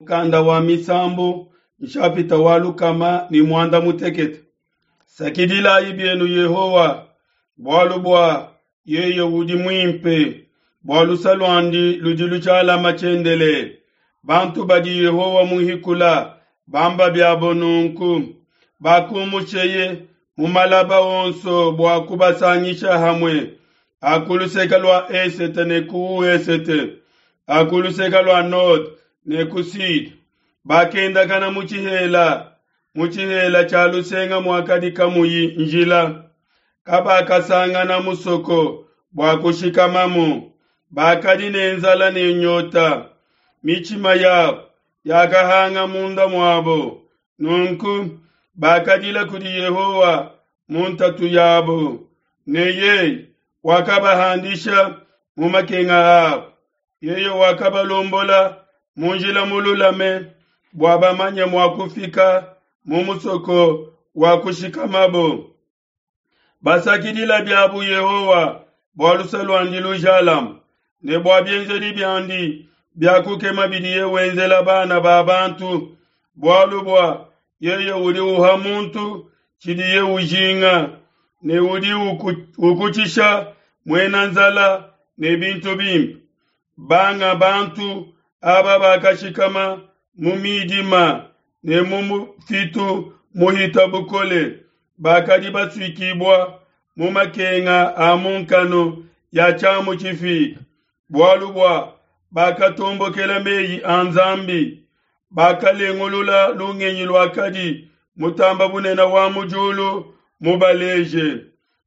Mukanda wa Misambu, nshapita wa 116. Sakidilayi bienu Yehowa, bualu bua yeye udi muimpe, bua luse luandi ludi lujalama tshiendelele. Bantu badi Yehowa muhikula bamba biabo nunku, bakumusheye mu malaba onso bua kubasangisha hamue, a ku luseke lua esete ne ku esete, a ku luseke lua node ne ku sude. Bakendakana mu tshihela, mu tshihela tshia lusenga muakadi kamuyi njila. Kabakasangana musoko bua kushikamamu, bakadi ne nzala ne nyota, mitshima yabo yakahanga munda muabo. Nunku bakadila kudi Yehowa mu ntatu yabo, ne yeye wakabahandisha mu makenga abo. Yeye wakabalombola mu njila mululame bua bamanye mua kufika mu musoko wa kushikamabo. Basakidila biabu Yehowa bua luse luandi lujalame, ne bua bienzedi biandi bia kukema bidiye wenzela bana ba bantu, bualu bua yeye udi uha muntu tshidiye ujinga, ne udi ukutshisha muena nzala ne bintu bimpe. Banga bantu aba bakashikama mu midima ne mu mufitu muhita bukole, bakadi basuikibua mu makenga a mu nkanu ya tshiamu tshifike, bualu bua bakatombokela meyi a Nzambi, bakalengulula lungenyi luakadi Mutamba Bunene wa mu diulu mubaleje.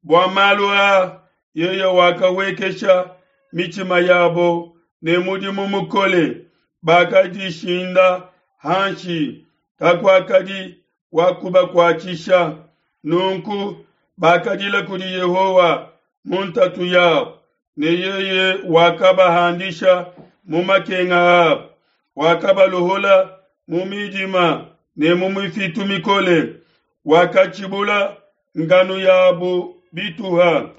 Bua malu aa yeye wakawekesha mitshima yabo ne mudimu mukole, bakadishinda hanshi, kakuakadi wa kubakuatshisha. Nunku bakadila kudi Yehowa mu ntatu yabo, ne yeye wakabahandisha mu makenga abo. Wakabaluhula mu midima ne mu mifitu mikole, wakatshibula nganu yabo bituha.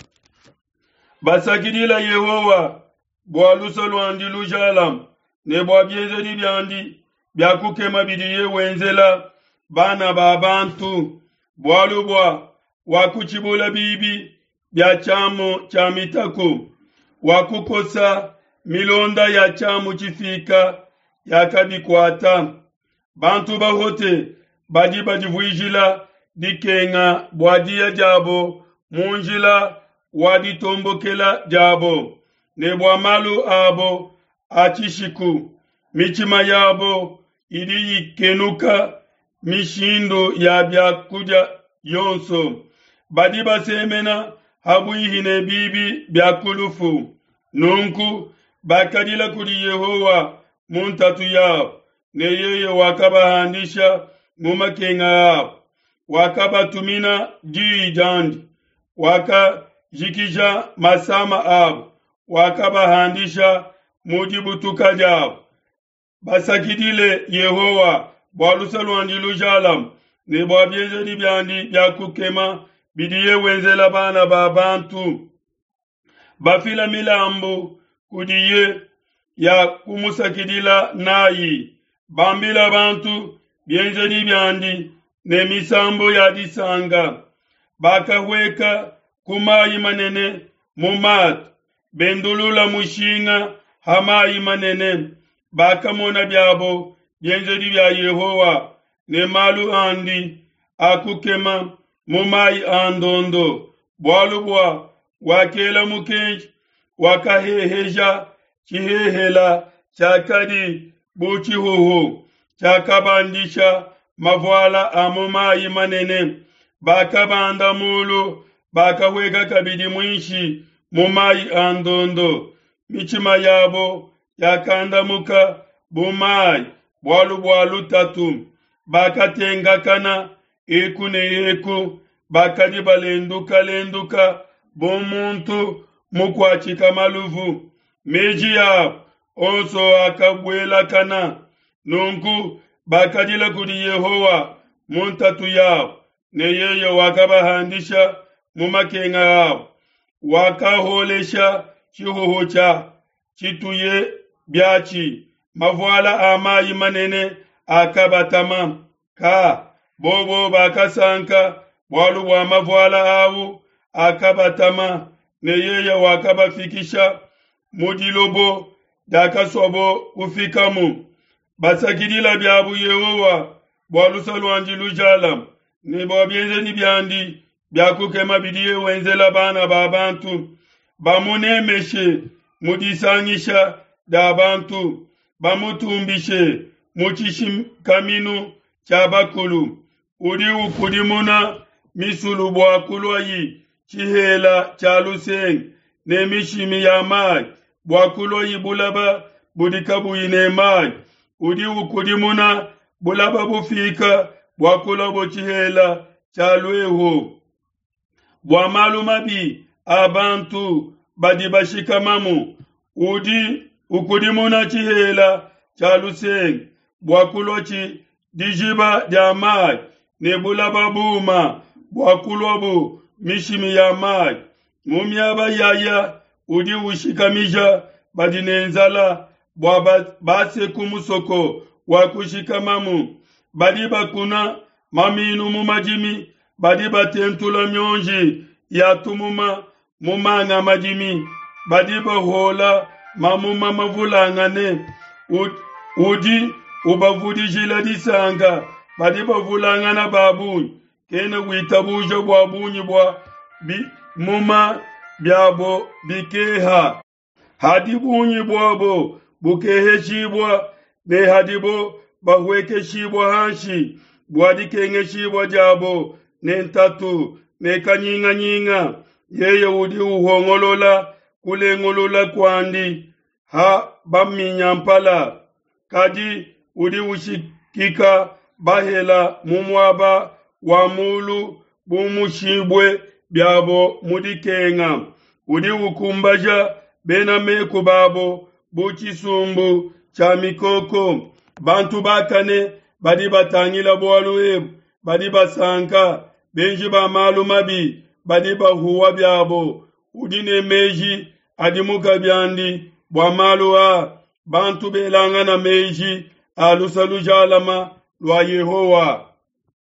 Basakidila Yehowa bua luse luandi lujalame, ne bua bienzedi biandi bia kukema bidiye wenzela bana ba bantu, bualu bua wakutshibula bibi bia tshiamu tshia mitaku, wakukosa milonda ya tshiamu tshifika yakabikuata. Bantu bahote badi badivuijila dikenga bua diya diabo mu njila wa ditombokela diabo, ne bua malu abo a tshishiku. Mitshima yabo idi ikenuka mishindu ya bia kudia yonso. Badi basemena ha buihi ne bibi bia ku lufu. Nunku bakadila kudi Yehowa mu ntatu yabo, ne yeye wakabahandisha mu makenga abo. Wakabatumina diyi diandi, wakajikija masama abo, wakabahandisha mu dibutuka diabo. Basakidile Yehowa bua luse luandi lujalame, ne bua bienzedi biandi bia kukema bidiye wenzela bana ba bantu. Bafila milambu kudiye ya kumusakidila nayi, bambila bantu bienzedi biandi ne misambu ya disanka. Bakahueka ku mayi manene mu matu, bendulula mushinga ha mayi manene. Bakamona biabo bienzedi bia Yehowa ne malu andi a kukema mu mayi a ndondo, bualu bua wakela mukenji, wakaheheja tshihehela tshiakadi bu tshihuhu, tshiakabandisha mavuala a mu mayi manene. Bakabanda mulu, bakahueka kabidi muinshi mu mayi a ndondo. Mitshima yabo yakandamuka bu mayi bualu bua lutatu, bakatengakana eku ne eku, bakadi balendukalenduka bu muntu mukuatshika maluvu. Meji abo onso akabuelakana. Nunku bakadila kudi Yehowa mu ntatu yabo, ne yeye wakabahandisha mu makenga abo. Wakaholesha tshihuhu tshia tshituye biatshi. Mavuala a mayi manene akabatama. Ka bobo bakasanka bualu bua mavuala au akabatama, ne yeye wakabafikisha mu dilobo diakasuabo kufikamu. Basakidila biabu Yehowa bua luse luandi lujalame, ne bua bienzedi biandi bia kukema bidiye wenzela bana ba bantu. Bamunemeshe mu disangisha dia bantu, bamutumbishe mu tshishikaminu tshia bakulu. Udi ukudimuna misulu bua kuluayi tshihela tshia lusenge, ne mishimi ya mayi bua kuluayi bulaba budi kabuyi ne mayi. Udi ukudimuna bulaba bufika bua kuluabo tshihela tshia luehu. Bua malu mabi a bantu badi bashikamamu, udi ukudimuna tshihela tshia lusenge bua kuluatshi dijiba dia mayi, ne bulaba buuma bua kuluabu mishimi ya mayi. Mu miaba yaya udi ushikamija badi ne nzala bua base ku musoko wa kushikamamu. Badi bakuna maminu mu madimi, badi batentula mionji ya tumuma mu manga madimi, badi bahola mamuma mavulangane. Udi ubavudijila disanka, badi bavulangana ba bungi. Kena witabuja bua bungi bua bimuma biabo bikeha. Hadi bungi buabo bukeheshibua, ne hadibo bahuekeshibua hanshi bua dikengeshibua diabo ne ntatu ne kanyinganyinga, yeye udi uhongolola kulengulula kuandi ha baminyampala, kadi udi ushikika bahela mu muaba wa mulu bu mushibue biabo mu dikenga. Udi ukumbaja bena meku babo bu tshisumbu tshia mikoko. Bantu bakane badi batangila bualu ebu badi basanka, benji ba malu mabi badi bahuwa biabo. Udi ne meji adimuka biandi bua malu a bantu belangana meji a luse lujalama lua Yehowa.